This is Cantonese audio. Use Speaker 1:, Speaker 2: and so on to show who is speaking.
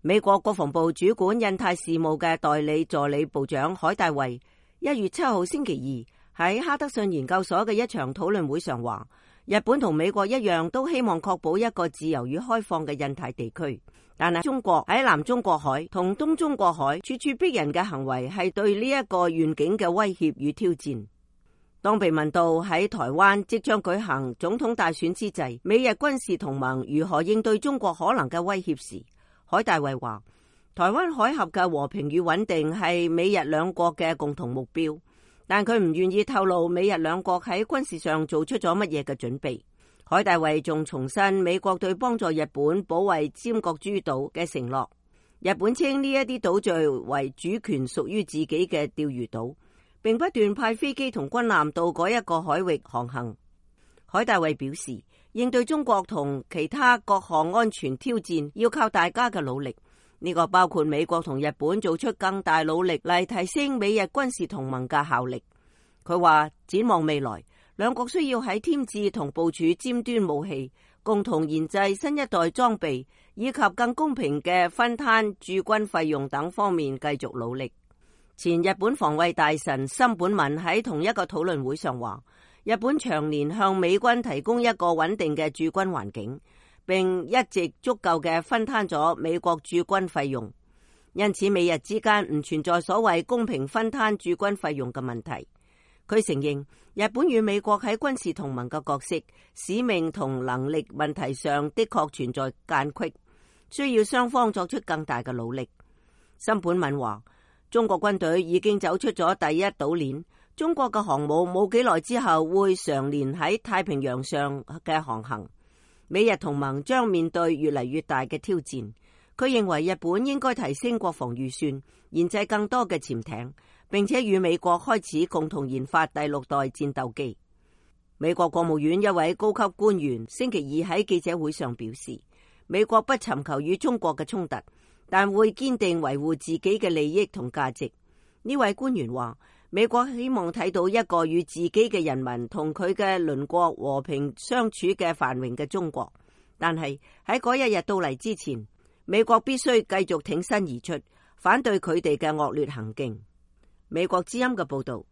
Speaker 1: 美國國防部主管印太事務嘅代理助理部長海大衛1月7號星期二喺哈德遜研究所嘅一場討論會上話，日本同美國一樣都希望確保一個自由與開放嘅印太地區，但係中國喺南中國海同東中國海處處逼人嘅行為係對呢一個願景嘅威脅與挑戰。當被問到喺台灣即將舉行總統大選之際，美日軍事同盟如何應對中國可能嘅威脅時，海大衛話，台灣海峽嘅和平與穩定係美日兩國嘅共同目標，但佢唔願意透露美日兩國喺軍事上做出咗乜嘢嘅準備。海大衛仲重申美國對幫助日本保衛尖閣諸島嘅承諾。日本稱呢一啲島嶼為主權屬於自己嘅釣魚島，並不斷派飛機同軍艦到嗰一個海域航行。海大衛表示，應對中國同其他各項安全挑戰要靠大家嘅努力，呢個包括美國同日本做出更大努力嚟提升美日軍事同盟嘅效力。佢話，展望未來，兩國需要喺添置同部署尖端武器、共同研製新一代裝備以及更公平嘅分攤駐軍費用等方面繼續努力。前日本防衛大臣森本敏喺同一個討論會上話，日本長年向美軍提供一個穩定嘅駐軍環境，並一直足夠嘅分攤咗美國駐軍費用，因此美日之間唔存在所謂公平分攤駐軍費用嘅問題。佢承認日本與美國喺軍事同盟嘅角色、使命同能力問題上的確存在間隙，需要雙方作出更大嘅努力。森本敏話，中國軍隊已經走出咗第一島鏈，中國嘅航母冇幾耐之後會常年喺太平洋上嘅航行，美日同盟將面對越嚟越大嘅挑戰。佢認為日本應該提升國防預算，研製更多嘅潛艇，並且與美國開始共同研發第6代戰鬥機。美國國務院一位高級官員星期二喺記者會上表示，美國不尋求與中國嘅衝突，但會堅定維護自己嘅利益同價值。呢位官員話，美國希望睇到一個與自己嘅人民同佢嘅鄰國和平相處嘅繁榮嘅中國，但係喺嗰一日到嚟之前，美國必須繼續挺身而出，反對佢哋嘅惡劣行徑。美國之音嘅報道。